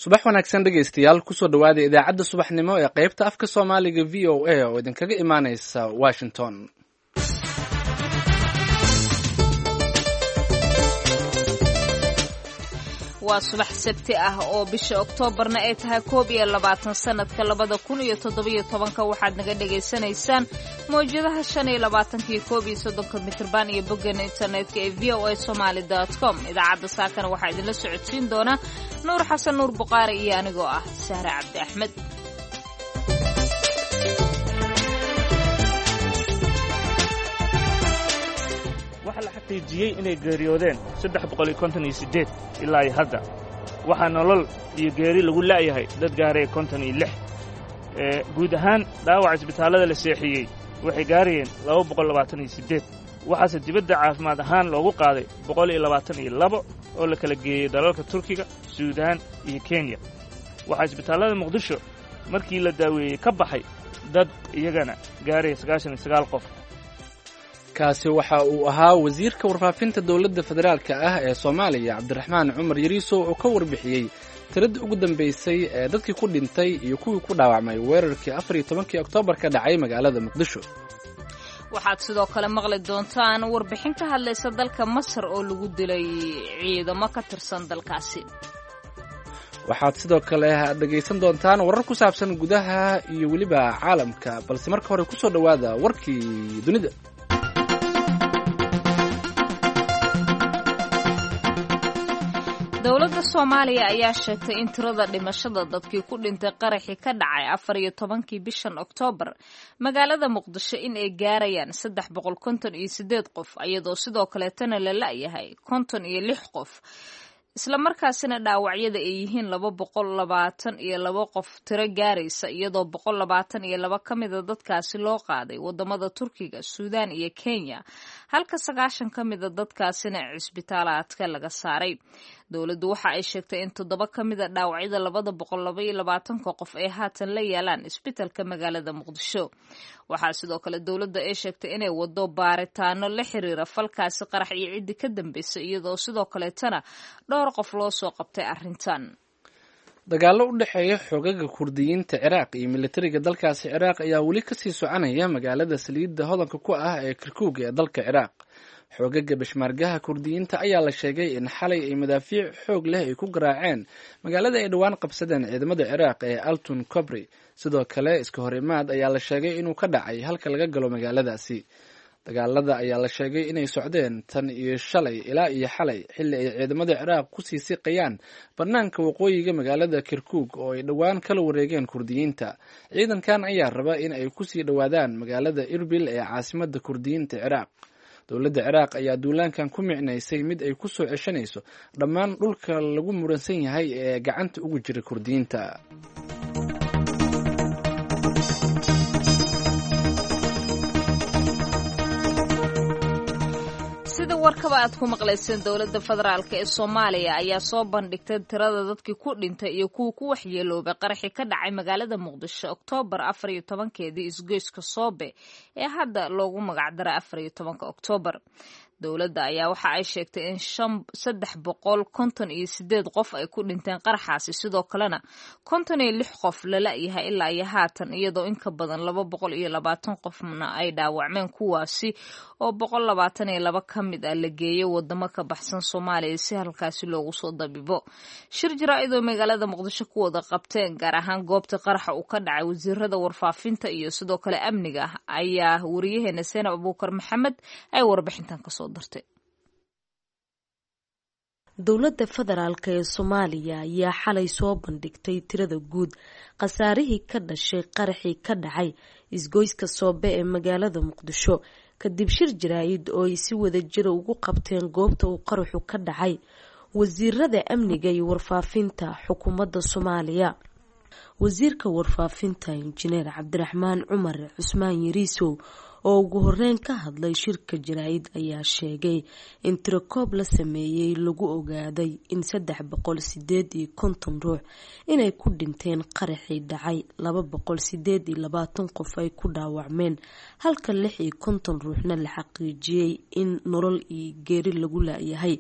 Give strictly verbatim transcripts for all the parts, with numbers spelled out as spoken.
Subax wanaagsan dhegaystayaal, kusoo dhawaada idaacadda subaxnimo ee qaybta afka Soomaaliga V O A oo idinkaga imaaneysa Washington. Waa subax Sabti ah oo bisha Oktoobarna ay tahay koob iyo labaatan sanadka labada kun iyo toddobiyo tobanka. Waxaad naga dhagaysanaysaan mawjadaha shan iyo labaatanka iyo koob iyo soddonka mitrban iyo boggeena internetka ee V O A Somaly dot com. Idaacadda saakana waxaa idinla socodsiin doona Nuur Xasan Nuur Buqaari iyo anigoo ah Sahre Cabdi Axmed. Waxaa la xaqiijiyey inay geeriyoodeen saddex boqol iyo konton iyo siddeed ilaa iyo hadda. Waxaa nolol iyo geeri lagu la'yahay dad gaaraya konton iyo lix. Guud ahaan dhaawaca isbitaallada la seexiyey waxay gaarayeen laba boqol labaatan iyo siddeed. Waxaase dibadda caafimaad ahaan loogu qaaday boqol iyo labaatan iyo labo oo la kala geeyey dalalka Turkiga, Suudaan iyo Kenya. Waxaa isbitaallada Muqdisho markii la daaweeyey ka baxay dad iyagana gaaraya sagaashan iyo sagaal qof. Kaasi waxa uu ahaa wasiirka warfaafinta dowladda federaalka ah ee Soomaaliya, Cabdiraxmaan Cumar Yariiso, oo ka warbixiyey tiradii ugu dambeysay ee dadkii ku dhintay iyo kuwii ku dhaawacmay weerarkii afar iyo tobankii Oktoobar ka dhacay magaalada Muqdisho. Waxaad sidoo kale maqli doontaan warbixin ka hadlaysa dalka Masar oo lagu dilay ciidamo ka tirsan dalkaasi. Waxaad sidoo kale dhegaysan doontaan warar ku saabsan gudaha iyo weliba caalamka, balse marka hore kusoo dhowaada warkii dunida. Dowladda Soomaaliya ayaa sheegtay in tirada dhimashada dadkii ku dhintay qaraxii ka dhacay afar iyo tobankii bishan Oktoobar magaalada Muqdisho in ay gaarayaan saddex boqol konton iyo sideed qof, iyadoo sidoo kaleetana la la'yahay konton iyo lix qof, islamarkaasina dhaawacyada ay yihiin laba boqol labaatan iyo laba qof tiro gaaraysa, iyadoo boqol labaatan iyo laba ka mida dadkaasi loo qaaday wadamada Turkiga, Suudaan iyo Kenya, halka sagaashan ka mida dadkaasina cisbitaalaadka laga saaray. Dowladdu waxa ay sheegtay in toddoba ka mida dhaawacyada labada boqol laba iyo labaatanka qof ay haatan la yaalaan isbitalka magaalada Muqdisho. Waxaa sidoo kale dowladda ay sheegtay inay wado baaritaano la xiriira falkaasi qarax iyo ciddi ka dambeysay, iyadoo sidoo kaleetana dhowr qof loo soo qabtay arrintan. Dagaallo u dhexeeya xoogaga Kurdiyiinta Ciraaq iyo militariga dalkaasi Ciraaq ayaa weli kasii soconaya magaalada saliidda hodanka ku ah ee Kirkuug ee dalka Ciraaq. Xoogaga bishmaargaha Kurdiyiinta ayaa la sheegay in xalay ay madaafiic xoog leh ay ku garaaceen magaalada ay dhowaan qabsadeen ciidamada Ciraaq ee Altun Kobri. Sidoo kale iska hor imaad ayaa la sheegay inuu ka dhacay halka laga galo magaaladaasi. Dagaalada ayaa la sheegay inay socdeen tan iyo shalay ilaa iyo xalay, xilli ay ciidamada Ciraaq kusii siqayaan bannaanka waqooyiga magaalada Kirkuug oo ay dhowaan kala wareegeen Kurdiyiinta. Ciidankan ayaa raba in ay kusii dhowaadaan magaalada Irbil ee caasimada Kurdiyiinta Ciraaq. Dowladda Ciraaq ayaa duulaankan ku micnaysay mid ay ku soo ceshanayso dhammaan dhulka lagu muransan yahay ee gacanta ugu jira Kurdiyiinta. Sida warkaba aad ku maqlayseen, dowladda federaalk ee Soomaaliya ayaa soo bandhigtay tirada dadkii ku dhintay iyo kuwa ku waxyeeloobay qaraxii ka dhacay magaalada Muqdisho Oktoobar afar iyo tobankeedii isgoyska Soobe ee hadda loogu magacdaray afar iyo tobanka Oktoobar. Dowladda ayaa waxa ay sheegtay in shan saddex boqol konton iyo sideed qof ay ku dhinteen qaraxaasi, sidoo kalena konton iyo lix qof lala yahay ilaa iyo haatan, iyadoo in ka badan laba boqol iyo labaatan qofna ay dhaawacmeen, kuwaasi oo boqol labaatan iyo laba ka mid ah la geeyey wadamo ka baxsan Soomaaliya si halkaasi loogu soo dabibo. Shir jaraa'id oo magaalada Muqdisho ku wada qabteen, gaar ahaan goobta qaraxa uu ka dhacay, wasiirada warfaafinta iyo sidoo kale amniga, ayaa wariyaheena Seenab Abuukar Maxamed ay warbixintan kasoo. Dowladda federaalk ee Soomaaliya ayaa xalay soo bandhigtay tirada guud khasaarihii ka dhashay qaraxii ka dhacay isgoyska Soobe ee magaalada Muqdisho, kadib shir jaraa'id oo ay si wada jira ugu qabteen goobta uu qaraxu ka dhacay wasiirada amniga iyo warfaafinta xukuumadda Soomaaliya. Wasiirka warfaafinta Injineer Cabdiraxmaan Cumar Cusmaan Yariisow oo ugu horeyn ka hadlay shirka jaraa'id ayaa sheegay in tirakoob la sameeyey lagu ogaaday in saddex boqol sideed iyo konton ruux inay ku dhinteen qaraxii dhacay, laba boqol sideed iyo labaatan qof ay ku dhaawacmeen, halka lix iyo konton ruuxna la xaqiijiyey in nolol iyo geeri lagu laayahay.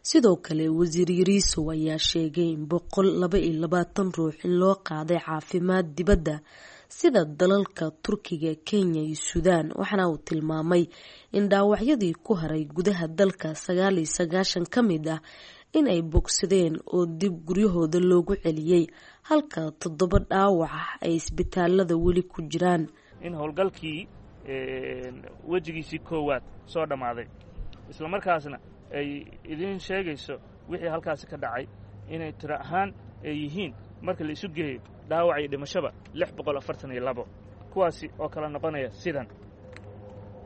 Sidoo kale wasiir Yariisow ayaa sheegay in boqol laba iyo labaatan ruux in loo qaaday caafimaad dibadda sida dalalka Turkiga, Kenya iyo Suudaan, waxaana uu tilmaamay in dhaawacyadii ku haray gudaha dalka sagaal iyo sagaashan ka mid ah in ay bogsadeen oo dib guryahooda loogu celiyey, halka toddoba dhaawac ah ay isbitaalada weli ku jiraan. In howlgalkii wejigiisii koowaad soo dhammaaday, isla markaasna ay idiin sheegayso wixii halkaasi ka dhacay inay tiro ahaan ay yihiin marka la isu geeyo dhaawac iyo dhimashaba lix boqol afartan iyo labo, kuwaasi oo kala noqonaya sidan.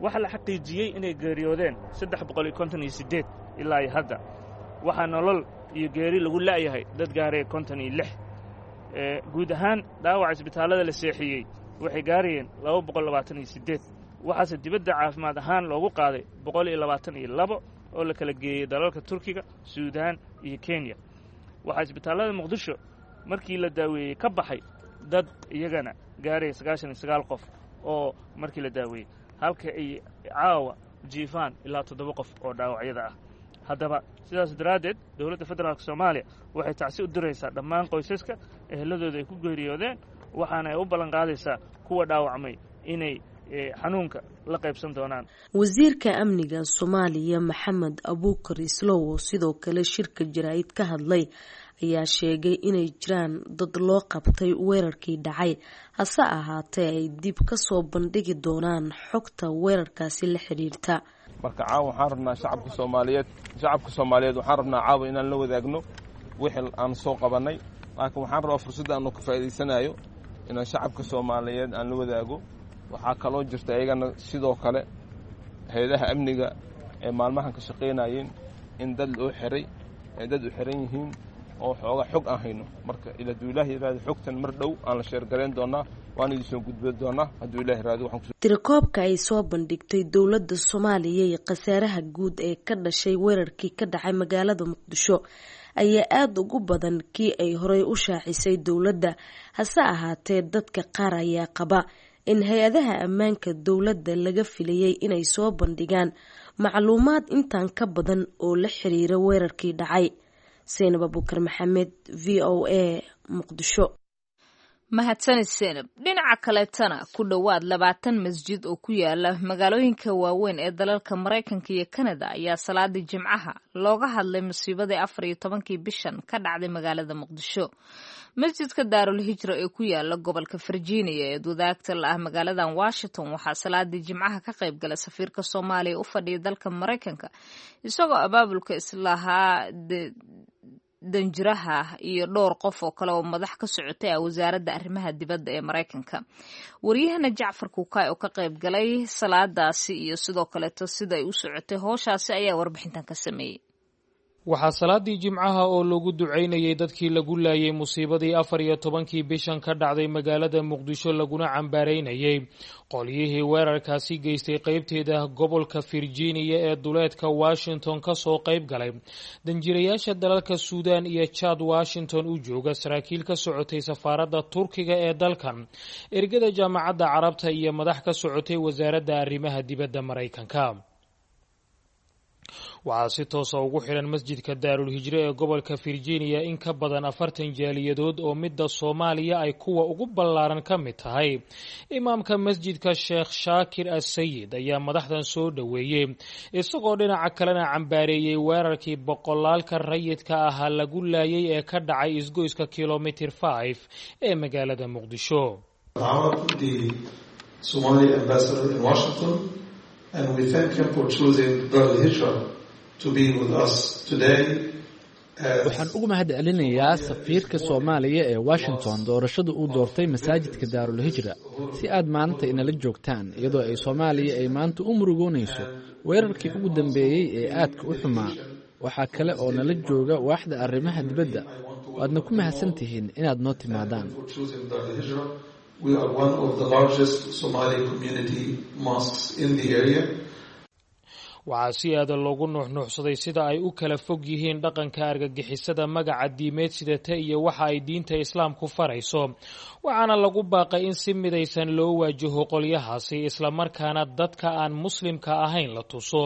Waxaa la xaqiijiyey inay geeriyoodeen saddex boqol iyo konton iyo siddeed ilaa iyo hadda. Waxaa nolol iyo geeri lagu la'yahay dad gaaraya konton iyo lix. Guud ahaan dhaawaca isbitaallada la seexiyey waxay gaarayeen laba boqol labaatan iyo siddeed, waxaase dibadda caafimaad ahaan loogu qaaday boqol iyo labaatan iyo labo oo la kala geeyey dalalka Turkiga, Suudaan iyo Kenya. Waxaa isbitaallada Muqdisho markii la daaweeyey ka baxay dad iyagana gaaraya sagaashan iyo sagaal qof oo markii la daaweeyey, halka ay caawa jiifaan ilaa toddoba qof oo dhaawacyada ah. Haddaba sidaas daraaddeed dowladda federaalka Soomaaliya waxay tacsi u diraysaa dhammaan qoysaska eheladooda ay ku geeriyoodeen, waxaana ay u ballan qaadaysaa kuwa dhaawacmay inay xanuunka la qaybsan doonaan. Wasiirka amniga Soomaaliya Maxamed Abuukar Islow oo sidoo kale shirka jaraa'id ka hadlay ayaa sheegay inay jiraan dad loo qabtay weerarkii dhacay, hase ahaatee ay dib ka soo bandhigi doonaan xogta weerarkaasi la xiriirta. Marka caawa waxaan rabnaa shacabka Soomaaliyeed shacabka Soomaaliyeed waxaan rabnaa caawa inaan la wadaagno wixii aan soo qabannay, laakiin waxaan rabaa fursadda aanu ka faa'iidaysanayo inaan shacabka Soomaaliyeed aan la wadaago. Waxaa kaloo jirta iyagana sidoo kale hay-adaha amniga ee maalmahan ka shaqaynayeen in dad loo xiray ee dad u xiran yihiin oo xooga xog aan hayno. Marka hadduu Ilaah yiraahdo xogtan mar dhow aan la sheergarayn doonaa, waan idin soo gudbin doonaa hadduu Ilaah yiraahdo. Tirakoobka ay soo bandhigtay dowladda Soomaaliya iyo khasaaraha guud ee ka dhashay weerarkii ka dhacay magaalada Muqdisho ayaa aada ugu badan kii ay horey u shaacisay dowladda, hase ahaatee dadka qaar ayaa qaba in hay-adaha ammaanka dowladda laga filayay inay soo bandhigaan macluumaad intaan ka badan oo la xiriira weerarkii dhacay. Seynab Abuukar Maxamed, V O A, Muqdisho. Mahadsanid Seynab. Dhinaca kaleetana ku dhowaad labaatan masjid oo ku yaala magaalooyinka waaweyn ee dalalka Maraykanka iyo Kanada ayaa salaadii Jimcaha looga hadlay musiibadii afar iyo tobankii bishan ka dhacday magaalada Muqdisho. Masjidka Daarul Hijra ee ku yaala gobolka Virginia ee wadaagta la ah magaaladan Washington waxaa salaadii Jimcaha ka qayb galay safiirka Soomaaliya u fadhiya dalka Maraykanka, isagoo abaabulka islahaa danjiraha iyo dhowr qof oo kale oo madax ka socotay ah wasaaradda arrimaha dibadda ee Maraykanka. Waryahana Jacfar Kukaay oo ka qayb galay salaadaasi iyo sidoo kaleeto sida ay u socotay howshaasi ayaa warbixintan ka sameeyey. Waxaa salaadii Jimcaha oo lagu ducaynayay dadkii lagu laayay musiibadii afar iyo tobankii bishan ka dhacday magaalada Muqdisho, laguna cambaaraynayay qolyihii weerarkaasi geystay qeybteeda gobolka Virginia ee duleedka Washington ka soo qayb galay danjirayaasha dalalka Suudaan iyo Chad Washington u jooga, saraakiil ka socotay safaaradda Turkiga ee dalkan, ergada Jaamacadda Carabta iyo madax ka socotay wasaaradda arrimaha dibadda Maraykanka. Waxaa si toosa ugu xiran masjidka Daarul Hijre ee gobolka Virginia in ka badan afartan jaaliyadood oo midda Soomaaliya ay kuwa ugu ballaaran ka mid tahay. Imaamka masjidka Sheekh Shaakir Asayid ayaa madaxdan soo dhoweeyey, isagoo dhinaca kalena cambaareeyey weerarkii boqolaalka rayidka ahaa lagu laayay ee ka dhacay isgoyska kilomitir five ee magaalada Muqdisho. And we thank him for choosing Darul Hijra to be with us today. Waxaan ugu mahad celinayaa safiirka Soomaaliya ee Washington doorashada uu doortay masaajidka Daarul Hijra si aad maanta inala joogtaan, iyadoo ay Soomaaliya ay maanta u murugoonayso weerarkii ugu dambeeyey ee aadka u xumaa. Waxaa kale oo nala jooga waaxda arrimaha dibadda. Waadna ku mahadsan tihiin inaad noo timaadaan. We are one of the largest Somali community mosques in the area. Waxaa si aada loogu nuuxnuuxsaday sida ay u kala fog yihiin dhaqanka argagixisada magaca diimeed sidata iyo waxa ay diinta islaamku farayso, waxaana lagu baaqay in si midaysan loo waajaho qolyahaasi, islamarkaana dadka aan muslimka ahayn la tuso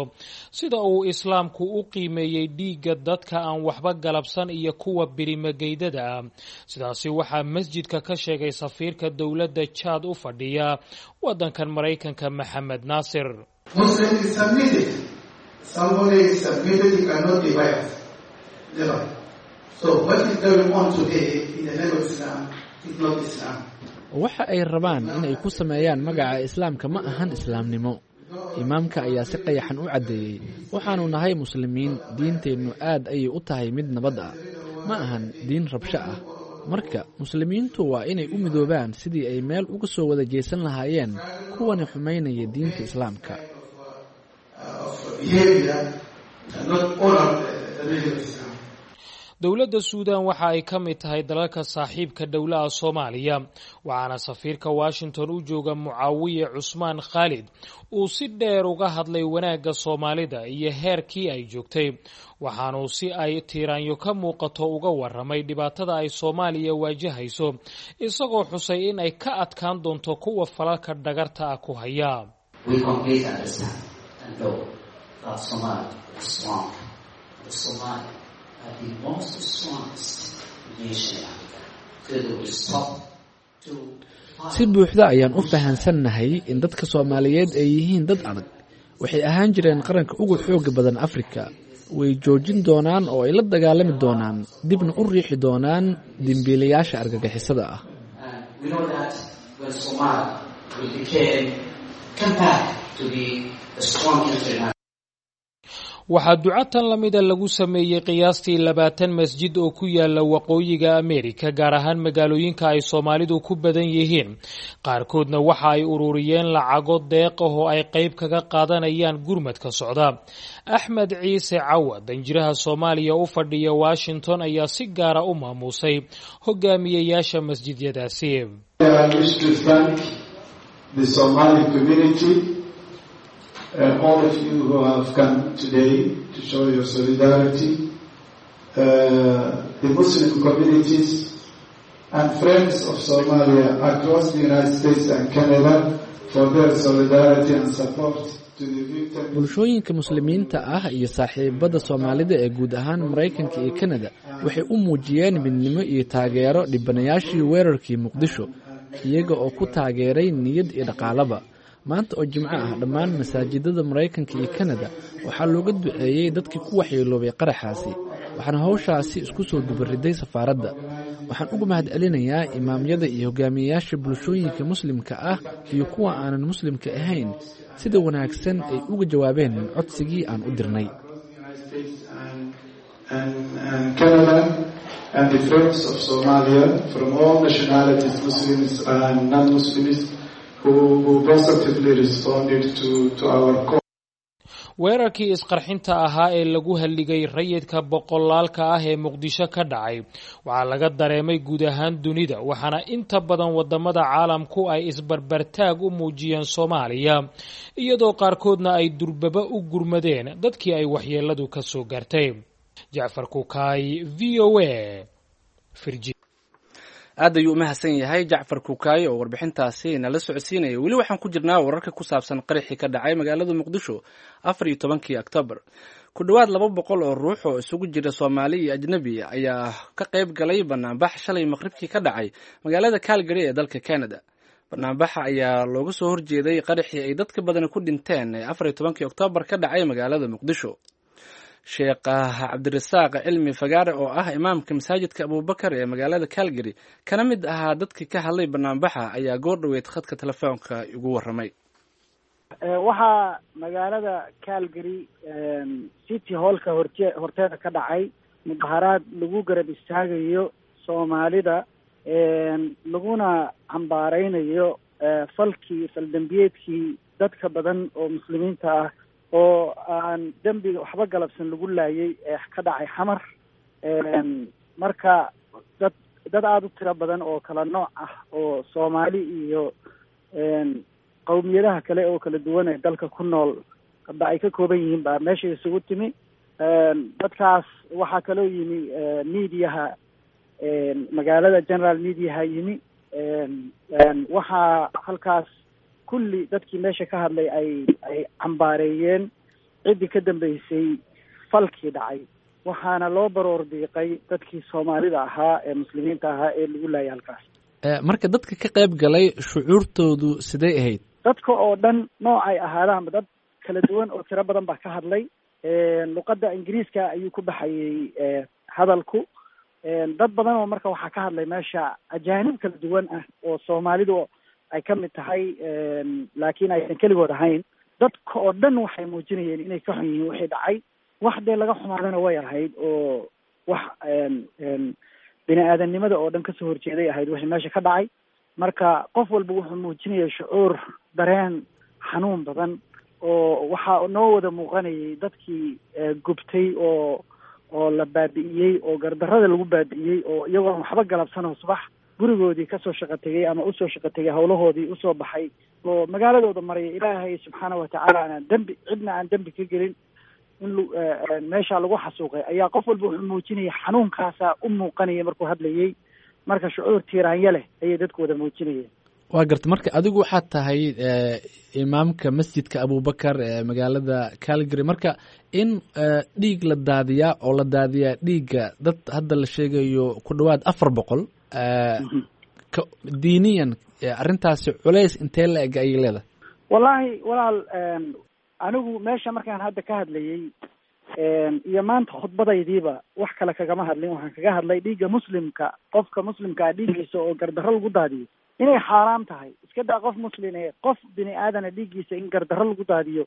sida uu islaamku u qiimeeyey dhiigga dadka aan waxba galabsan iyo kuwa birimageydada ah. Sidaasi waxaa masjidka ka sheegay safiirka dowladda Jaad u fadhiya waddankan Maraykanka, Maxamed Naasir. Muslim is submitted. Somebody is submitted, he cannot be biased. Never. So what is going on today in the name of Islam is not Islam. Waxa ay rabaan in ay ku sameeyaan magaca islaamka ma ahan islaamnimo. Imaamka ayaa si qayaxan u caddeeyey, waxaanu nahay muslimiin, diinteennu aad ayay u tahay mid nabad ah, ma ahan diin rabsho ah. Marka muslimiintu waa inay u midoobaan sidii ay meel uga soo wada jeesan lahaayeen kuwani xumaynaya diinta islaamka. Of behavior cannot honor the, the name of Islam. Dowladda Suudan waxa ay ka mid tahay dalalka saaxiibka dhowlaha Soomaaliya, waxaana safiirka Washington u jooga, Mucaawiye Cusmaan Khaalid, uu si dheer uga hadlay wanaagga Soomaalida iyo heerkii ay joogtay, waxaanuu si ay tiiraanyo ka muuqato uga waramay dhibaatada ay Soomaaliya waajahayso, isagoo xusay in ay ka adkaan doonto kuwa falalka dhagarta ah ku haya. We completely understand and know that Somalia is strong. The Somali are the most strongest nation in Africa. So they will stop to Si buuxda ayaan u fahansannahay in dadka Soomaaliyeed ay yihiin dad adag. Waxay ahaan jireen qaranka ugu xooga badan Afrika. Way joojin doonaan oo ay la dagaalami doonaan, dibna u riixi doonaan dembiilayaasha argagixisada ah. And we know that when Somalia will became come back to be a strong country in Africa. Waxaa ducatan lamida lagu sameeyey qiyaastii labaatan masjid oo ku yaala waqooyiga Ameerika, gaar ahaan magaalooyinka ay Soomaalidu ku badan yihiin. Qaarkoodna waxa ay ururiyeen lacago deeq ah oo ay qayb kaga qaadanayaan gurmadka socda. Axmed Ciise Cawa, danjiraha Soomaaliya u fadhiya Washington, ayaa si gaara u maamuusay hogaamiyeyaasha masjidyadaasi. I wish to thank the Somali community and all of you who have come today to show your solidarity, uh, the Muslim communities and friends of Somalia across the United States and Canada for their solidarity and support to the victims. Bulshooyinka muslimiinta ah iyo saaxiibada Soomaalida ee guud ahaan Maraykanka iyo Kanada waxay u muujiyeen midnimo iyo taageero dhibanayaashii weerarkii Muqdisho, iyaga oo ku taageeray niyad iyo dhaqaalaba. Maanta oo Jimco ah, dhammaan masaajidada Maraykanka iyo Kanada waxaa looga duceeyey dadkii ku waxyeeloobay qaraxaasi, waxaana howshaasi isku soo dubariday safaaradda. Waxaan uga mahadcelinayaa imaamyada iyo hogaamiyeyaasha bulshooyinka muslimka ah iyo kuwa aanan muslimka ahayn sida wanaagsan ay uga jawaabeen codsigii aan u dirnay. And, and, and Canada and the friends of Somalia from all nationalities, Muslims and non-Muslims, who, who positively responded to, to our call. Weerarkii isqarxinta ahaa ee lagu halligay rayidka boqolaalka ah ee Muqdisho ka dhacay waxaa laga dareemay guud ahaan dunida, waxaana inta badan wadamada caalamku ay isbarbartaag u muujiyeen Soomaaliya, iyadoo qaarkoodna ay durbaba u gurmadeen dadkii ay waxyeeladu ka soo gaartay. Jacfar Kukaay, V O A. Aad ayuu u mahadsan yahay Jacfar Kuukaayo oo warbixintaasi nala socodsiinaya. Weli waxaan ku jirnaa wararka ku saabsan qaraxii ka dhacay magaalada Muqdisho afar iyo tobankii Oktoobar. Ku dhowaad laba boqol oo ruux oo isugu jira Soomaali iyo ajnabi ayaa ka qayb galay banaanbax shalay maqribkii ka dhacay magaalada Calgary ee dalka Canada. Banaanbaxa ayaa looga soo horjeeday qaraxii ay dadka badani ku dhinteen ee afar iyo tobankii Oktoobar ka dhacay magaalada Muqdisho. Sheekh Cabdirasaaq Cilmi Fagaare, oo ah imaamka masaajidka Abuubakar ee magaalada Calgary, kana mid ahaa dadkii ka hadlay banaanbaxa, ayaa goor dhoweyd khadka telefoonka igu waramay. Waxaa magaalada Calgary City Hallka horte horteeda ka dhacay mudaharaad lagu garab istaagayo Soomaalida, laguna cambaareynayo falkii faldambiyeedkii dadka badan oo muslimiinta ah oo aan dembiga waxba galabsan lagu laayay ee ka dhacay Xamar. Marka dad dad aada u tiro badan oo kala nooc ah oo Soomaali iyo qowmiyadaha kale oo kala duwan ee dalka ku nool ba ay ka kooban yihiin baa meesha isugu timi. Dadkaas waxaa kaloo yimi mediaha magaalada, general mediaha yimi. Waxaa halkaas kulli dadkii meesha ka hadlay ay ay cambaareeyeen ciddii ka dambeysay falkii dhacay, waxaana loo baroor diiqay dadkii Soomaalida ahaa ee Muslimiinta ahaa ee lagu laayay halkaas. Marka dadka ka qayb galay shucuurtoodu sidee ahayd? Dadka oo dhan noocay ahaadaanba, dad kala duwan oo tiro badan baa ka hadlay. Luqadda Ingiriiska ayuu ku baxayay hadalku. Dad badan oo marka waxaa ka hadlay meesha ajaanib kala duwan ah oo Soomaalidu ay ka mid tahay, laakiin aysan keligood ahayn. Dadka oo dhan waxay muujinayeen inay ka xun yihiin wixii dhacay. Wax dee laga xumaadana way ahayd, oo wax bini aadamnimada oo dhan kasoo horjeeday ahayd wixii meesha ka dhacay. Marka qof walba wuxuu muujinayay shucuur, dareen xanuun badan, oo waxaa noo wada muuqanayay dadkii gubtay oo oo la baabi'iyey oo gardarrada lagu baabi'iyey, oo iyagoon waxba galabsanoo subax gurigoodii kasoo shaqo tegay ama usoo shaqo tegay, hawlahoodii usoo baxay oo magaaladooda maraya. Ilaahay subxaana watacaala aanaan dembi, cidna aan dembi ka gelin, in meesha lagu xasuuqay ayaa qof walba wuxuu muujinayay xanuunkaasaa u muuqanaya markuu hadlayay. Marka shucuur tiiraanya leh ayay dadku wada muujinayeen. Waa garta. Marka adigu waxaad tahay imaamka masjidka Abubakar ee magaalada Calgary. Marka in dhiig la daadiyaa oo la daadiyaa dhiigga dad hadda la sheegayo ku dhawaad afar boqol, diiniyan arrintaasi culays intee la eg ayay leedahay? Wallaahi walaal, anigu meesha markaan hadda ka hadlayay iyo maanta khudbadaydiiba wax kale kagama hadlin. Waxaan kaga hadlay dhiigga Muslimka, qofka Muslimkaa dhiiggiisa oo gardarro lagu daadiyo inay xaaraam tahay. Iska daa qof Muslim ee qof bini aadana dhiiggiisa in gardarro lagu daadiyo,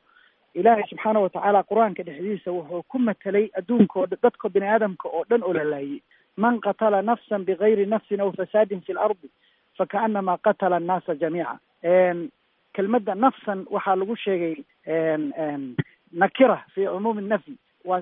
Ilaahay subxaana watacaala Qur-aanka dhexdiisa wuxuu ku matelay adduunka oo dadka bini aadamka oo dhan oo la laayay: "Man qatala nafsan bigayri nafsin aw fasaadin fi lardi fakaanama qatala annaasa jamiica." Kelmadda nafsan waxaa lagu sheegay nakira fi cumuumi nafyi, wa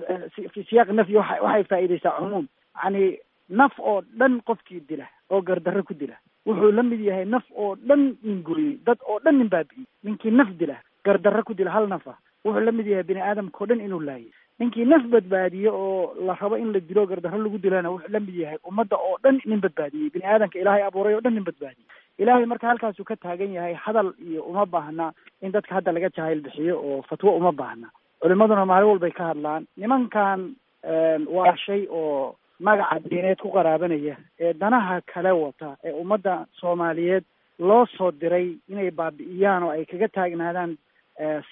fi siyaaq nafyi waa waxay faa'iideysaa cumuum. Yani naf oo dhan qofkii dila oo gardarro ku dila wuxuu la mid yahay naf oo dhan nin gooyey, dad oo dhan nin baabi'iyey. Ninkii naf dila, gardarro ku dila hal nafa, wuxuu la mid yahay bini aadamka oo dhan inuu laayay. Ninkii naf badbaadiye oo la rabo in la dilo, gardarro lagu dilana, wuxuu la mid yahay ummadda oo dhan nin badbaadiyey, bini aadamka Ilaahay abuuray oo dhan nin badbaadiyey. Ilaahay marka halkaasuu ka taagan yahay. Hadal iyo uma baahna in dadka hadda laga jahayl bixiyo oo fatwo uma baahna. Culimaduna maalin walbay ka hadlaan. Nimankan waa shay oo magaca diineed ku qaraabanaya ee danaha kale wata ee ummadda Soomaaliyeed loo soo diray inay baabi'iyaan oo ay kaga taagnaadaan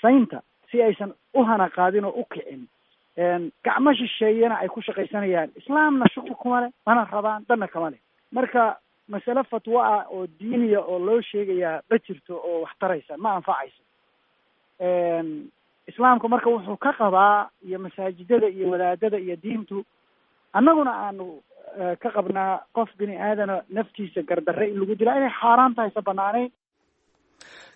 saynta si aysan u hana qaadin oo u kicin, gacmo shisheeyana ay ku shaqaysanayaan. Islaamna shuqul kuma leh, mana rabaan, danna kama leh. Marka masale fatwo ah oo diiniya oo loo sheegayaa ma jirto oo wax taraysa, ma anfacayso Islaamku. Marka wuxuu ka qabaa iyo masaajidada iyo wadaadada iyo diintu annaguna aanu ka qabnaa qof bini aadana naftiisa gardarre in lagu dilaa inay xaaraan tahay, sa banaanayn.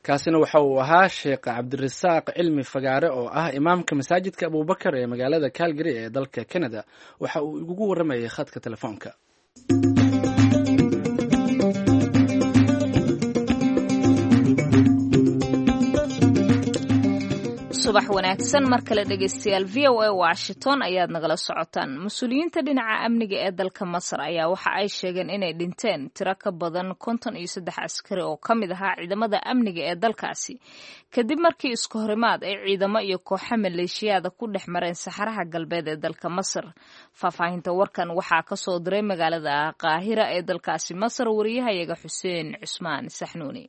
Kaasina waxa uu ahaa Sheekh Cabdirasaaq Cilmi Fagaare oo ah imaamka masaajidka Abubakar ee magaalada Calgary ee dalka Canada. Waxa uu igugu waramayay khadka telefoonka. Subax wanaagsan mar kale dhegeystayaal, V O A Washington ayaad nagala socotaan. Mas-uuliyiinta dhinaca amniga ee dalka Masar ayaa waxa ay sheegeen inay dhinteen tiro ka badan konton iyo saddex askari oo ka mid ahaa ciidamada amniga ee dalkaasi, kadib markii isku horimaad ay ciidamo iyo kooxo maleeshiyaada ku dhex mareen saxaraha galbeed ee dalka Masar. Faahfaahinta warkan waxaa kasoo diray magaalada Qaahira ee dalkaasi Masar wariyahayaga Xuseen Cusmaan Saxnuuni.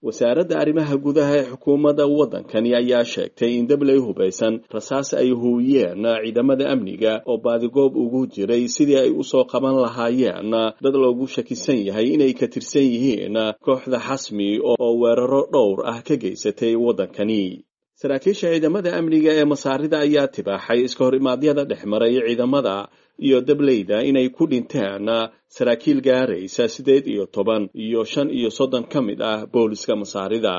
Wasaaradda arrimaha gudaha ee xukuumadda waddankani ayaa sheegtay in dabley hubaysan rasaas ay huuyeen ciidamada amniga oo baadigoob ugu jiray sidii ay u soo qaban lahaayeen dad loogu shakisan yahay inay ka tirsan yihiin kooxda Xasmi oo weeraro dhowr ah ka geysatay waddankani. Saraakiisha ciidamada amniga ee Masaarida ayaa tibaaxay iska hor imaadyada dhex maray ciidamada iyo dableyda inay ku dhinteen saraakiil gaaraysa siddeed iyo toban iyo shan iyo soddon ka mid ah booliska Masaarida.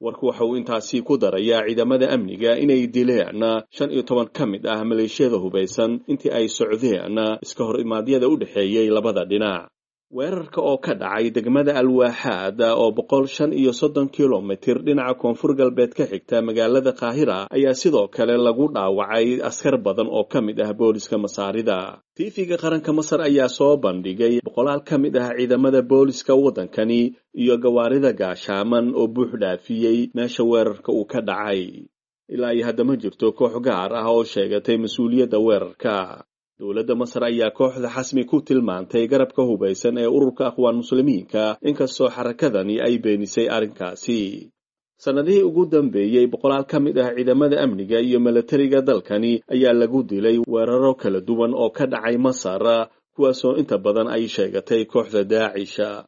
Warku waxa uu intaasi ku darayaa ciidamada amniga inay dileen shan iyo toban ka mid ah maleeshiyada hubaysan intii ay socdeen iska hor imaadyada u dhexeeyey labada dhinac. Weerarka oo ka dhacay degmada Alwaaxaad oo boqol shan iyo soddon kilomitir dhinaca koonfur galbeed ka xigta magaalada Qaahira ayaa sidoo kale lagu dhaawacay askar badan oo ka mid ah booliska Masaarida. Tiifiga qaranka Masar ayaa soo bandhigay boqolaal ka mid ah ciidamada booliska waddankani iyo gawaarida gaashaaman oo buux dhaafiyey meesha weerarka uu ka dhacay. Ilaa iyo hadda ma jirto koox gaar ah oo sheegatay mas-uuliyadda weerarka. Dowladda Masar ayaa kooxda Xasmi ku tilmaantay garabka hubaysan ee ururka Aqwaan Muslimiinka, inkastoo xarakadani ay beenisay arrinkaasi. Sannadihii ugu dambeeyey boqolaal ka mid ah ciidamada amniga iyo milatariga dalkani ayaa lagu dilay weeraro kala duwan oo ka dhacay Masar, kuwaasoo inta badan ay sheegatay kooxda Daacisha.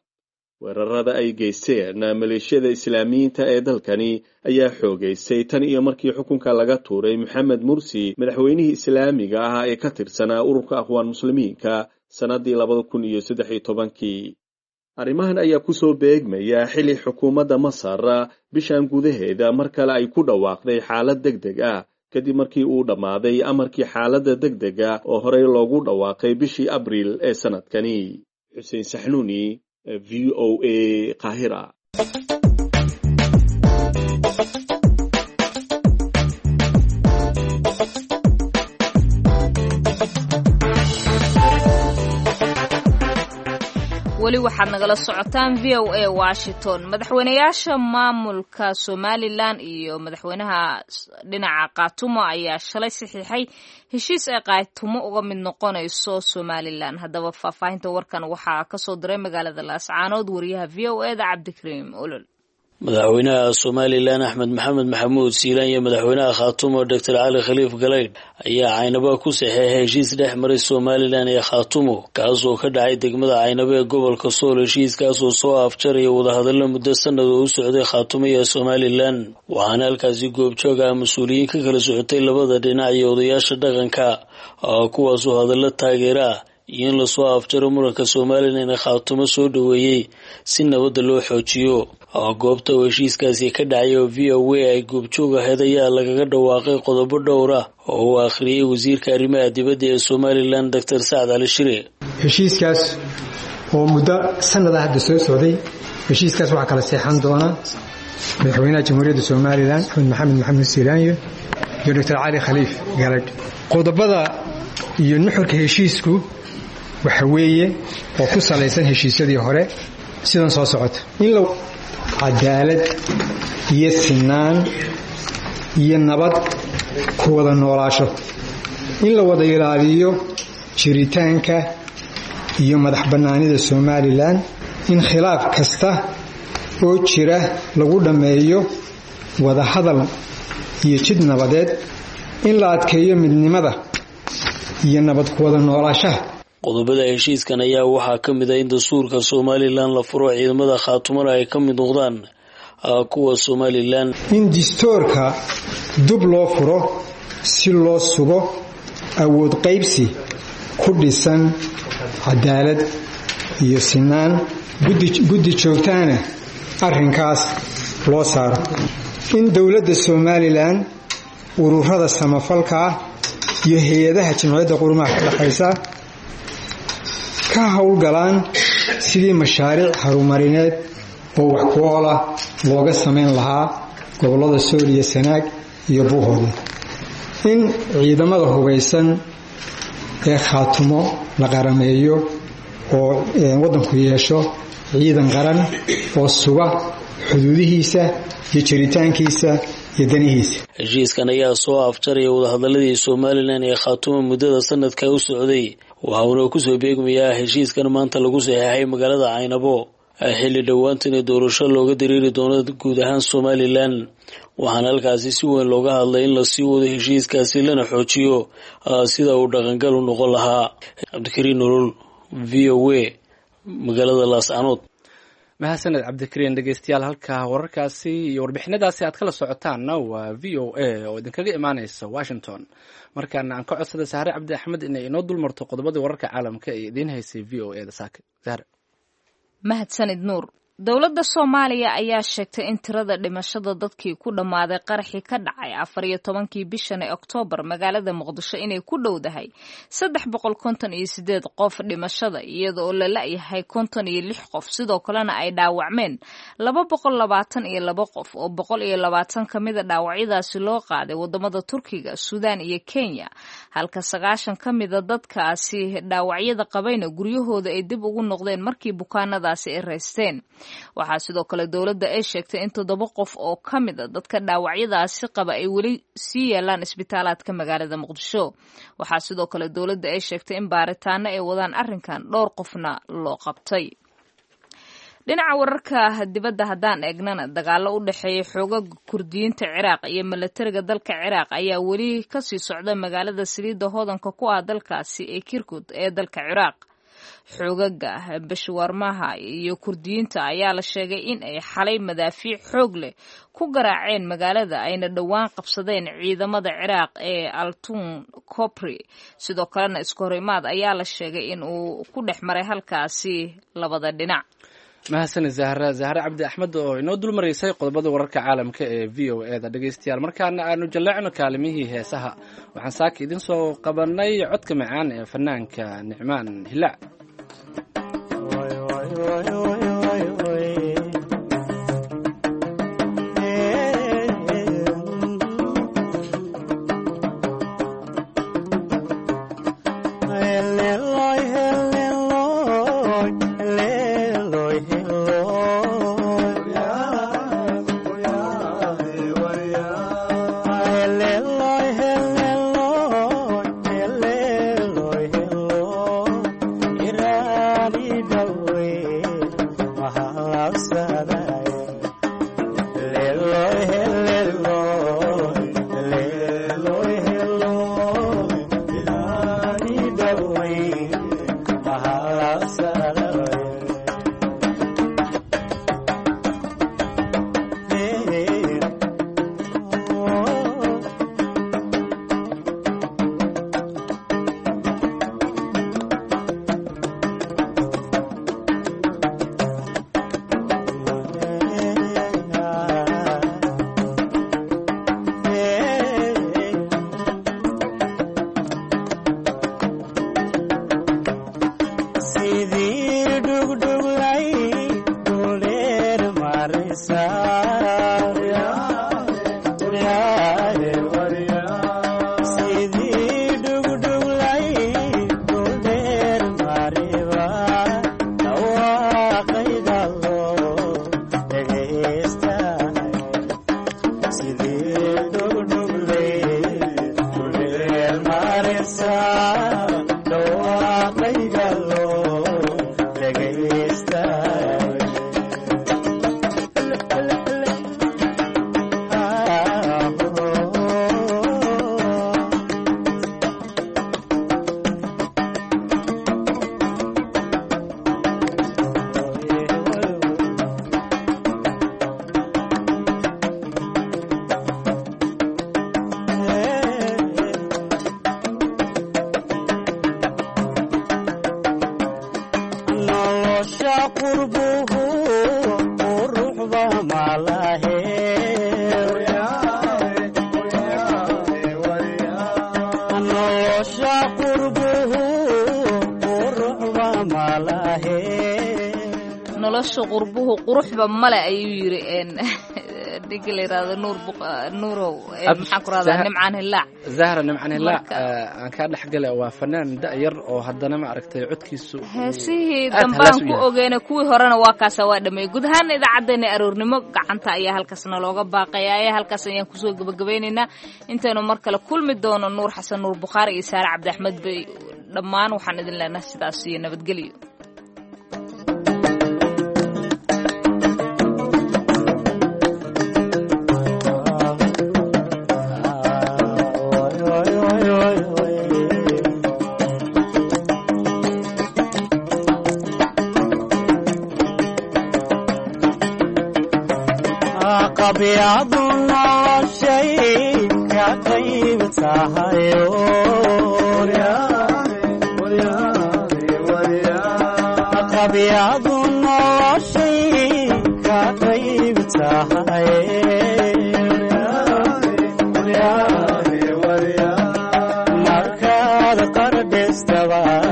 Weerarada ay geysteen maleeshiyada Islaamiyiinta ee dalkani ayaa xoogaystay tan iyo markii xukunka laga tuuray Maxamed Mursi, madaxweynihii islaamiga ah ee ka tirsanaa ururka Aqwaan Muslimiinka sannaddii labada kun iyo saddex iyo tobankii. Arrimahan ayaa ku soo beegmaya xili xukuumadda Masar bishan gudaheeda mar kale ay ku dhawaaqday xaalad deg deg ah kadib markii uu dhammaaday amarkii xaaladda deg dega oo horey loogu dhawaaqay bishii Abriil ee sanadkani. Xuseen Saxnuuni, V O A, Qaahira. Weli waxaad nagala socotaan V O A Washington. Madaxweynayaasha maamulka Somalilan iyo madaxweynaha dhinaca Kaatumo ayaa shalay saxiixay heshiis ay Kaatumo uga mid noqonayso Somalilan. Haddaba faahfaahinta warkan waxaa kasoo diray magaalada Laascaanood wariyaha V O A da Cabdikariim Olol. Madaxweynaha Somalilan Axmed Maxamed Maxamuud Siilaan iyo madaxweynaha Khaatumo Doctor Cali Khaliif Galaydh ayaa Caynaba ku saxeexay heshiis dhex maray Somalilan iyo Khaatumo, kaasoo ka dhacay degmada Caynaba ee gobolka Sool. Heshiiskaasoo soo afjaraya wadahadallo muddo sanad oo u socday Khaatumo iyo Somalilan, waxaana halkaasi goobjoog ah mas-uuliyiin ka kala socotay labada dhinac iyo odayaasha dhaqanka, kuwaasoo hadallo taageera ah iyo in lasoo afjaro muranka Somalilan ee Khaatumo soo dhoweeyey si nabadda loo xoojiyo. Goobta uu heshiiskaasi ka dhacay oo V O A ay goobjoog ahayd ayaa lagaga dhawaaqay qodobo dhowr ah oo uu akhriyey wasiirka arrimaha dibadda ee Somalilan Doctor Sacad Cali Shire. Heshiiskaas oo muddo sanad ah hadda soo socday, heshiiskaas waxaa kala seexan doona madaxweynaha Jamhuuriyadda Somalilan Axmed Maxamed Maxamuud Siilaanyo iyo Doctor Cali Khaliif Galaydh. Qodobada iyo nuxurka heshiisku waxa weeye oo ku salaysan heshiisyadii hore sidan soo socota: in la cadaalad iyo sinaan iyo nabad ku wada noolaasho, in la wada ilaaliyo jiritaanka iyo madax bannaanida Somalilan, in khilaaf kasta oo jira lagu dhammeeyo wada hadal iyo jid nabadeed, in la adkeeyo midnimada iyo nabad ku wada noolaashaha. Qodobada heshiiskan ayaa waxaa ka mid ah in dastuurka Somalilan la furo, ciidamada Khaatumana ay ka mid noqdaan kuwa Somalilan, in dastuurka dub loo furo si loo sugo awood qaybsi ku dhisan cadaalad iyo sinaan, guddi joogtaana arrinkaas loo saaro, in dowladda Somalilan ururada samafalka ah iyo hay-adaha jimciyadda qurumaha ka dhexaysa ka howlgalaan sidii mashaariic harumarineed oo wax ku ool ah looga samayn lahaa gobollada Sool iyo Sanaag iyo Buuhoodle, in ciidamada hubaysan ee Khaatumo la qarameeyo oo waddanku yeesho ciidan qaran oo suga xuduudihiisa iyo jiritaankiisa iyo danihiisa. Heshiiskan ayaa soo afjaraya wadahadaladii Somalilan ee Khaatumo muddada sanadka u socday, waxauna kusoo beegmayaa heshiiskan maanta lagu saxeexay magaalada Caynabo xilli dhowaantana doorasho looga dareeri doono guud ahaan Somalilan. Waxaana halkaasi si weyn looga hadlay in lasii wado heshiiskaasi lana xoojiyo sida uu dhaqangal u noqon lahaa. Cabdikariin Nolol, V O A, magaalada Laascaanood. Mahadsaned Cabdikariin. Dhegeystayaal, halka wararkaasi iyo warbixinadaasi aad kala socotaanna waa V O A oo idinkaga imaaneysa Washington. Markaana aan ka codsaday Sahre Cabdi Axmed inay inoo dulmarto qodobadii wararka caalamka ee idiin haysay V O A da saaka. Sahre. Mahadsanid Nuur. Dowladda Soomaaliya ayaa sheegtay in tirada dhimashada dadkii ku dhammaaday qaraxii ka dhacay afar iyo tobankii bishan ee Oktoobar magaalada Muqdisho inay ku dhowdahay saddex boqol konton iyo sideed qof dhimashada, iyada oo la la'yahay konton iyo lix qof, sidoo kalena ay dhaawacmeen laba boqol labaatan iyo laba qof oo boqol iyo labaatan ka mida dhaawacyadaasi loo qaaday wadamada Turkiga, Suudaan iyo Kenya, halka sagaashan ka mida dadkaasi dhaawacyada qabayna guryahooda ay dib ugu noqdeen markii bukaanadaasi ay raysteen. Waxaa sidoo kale dowladda ay sheegtay in toddoba qof oo ka mid a dadka dhaawacyadaasi qaba ay weli sii yaalaan isbitaalaadka magaalada Muqdisho. Waxaa sidoo kale dowladda ay sheegtay in baaritaano ay wadaan arrinkan, dhowr qofna loo qabtay. Dhinaca wararka dibadda haddaan eegnana, dagaallo u dhexeeya xoogaga Kurdiyiinta Ciraaq iyo milatariga dalka Ciraaq ayaa weli kasii socda magaalada saliidda hodanka ku ah dalkaasi ee Kirkuk ee dalka Ciraaq. Xoogaga Bashwarmaha iyo Kurdiyiinta ayaa la sheegay in ay xalay madaafiic xoog leh ku garaaceen magaalada, ayna dhowaan qabsadeen ciidamada Ciraaq ee Altun Copri. Sidoo kalena isku horimaad ayaa la sheegay in uu ku dhex maray halkaasi labada dhinac. Mahadsanid Zahra, Zahre Cabdi Axmed oo inoo dul maraysay qodobada wararka caalamka ee V O E da. Dhegeystayaal, markaana aanu jalleecno kaalimihii heesaha. Waxaan saaka idin soo qabanay codka macaan ee fanaanka Nicmaan Hilaac. Nolosha qurbuhu quruxba male ayuu yiri ninka la yiraahdo Nuur Nuurow, maxaan ku rahdaa, Nimcaan Hilaac. Zahra, Nimcaan Hilaac aan kaa dhexgala, waa fanaan da-yar oo haddana ma aragtay codkiisu heesihii dambaan ku ogeena, kuwii horena waa kaasa waa dhameeyey. Guud ahaan idaacaddeenna aroornimo gacanta ayaa halkaasna looga baaqayaa, halkaas ayaan kusoo gabagabeynaynaa. Intaynu mar kale kulmi doono, Nuur Xasan Nuur Bukhaari iyo Saare Cabdi Axmed bay dhammaan waxaan idin leenahay sidaas iyo nabadgelyo. Qabyadu noloshay ka qayb tahayo, qabyadu noloshay Labada qaradheestaba.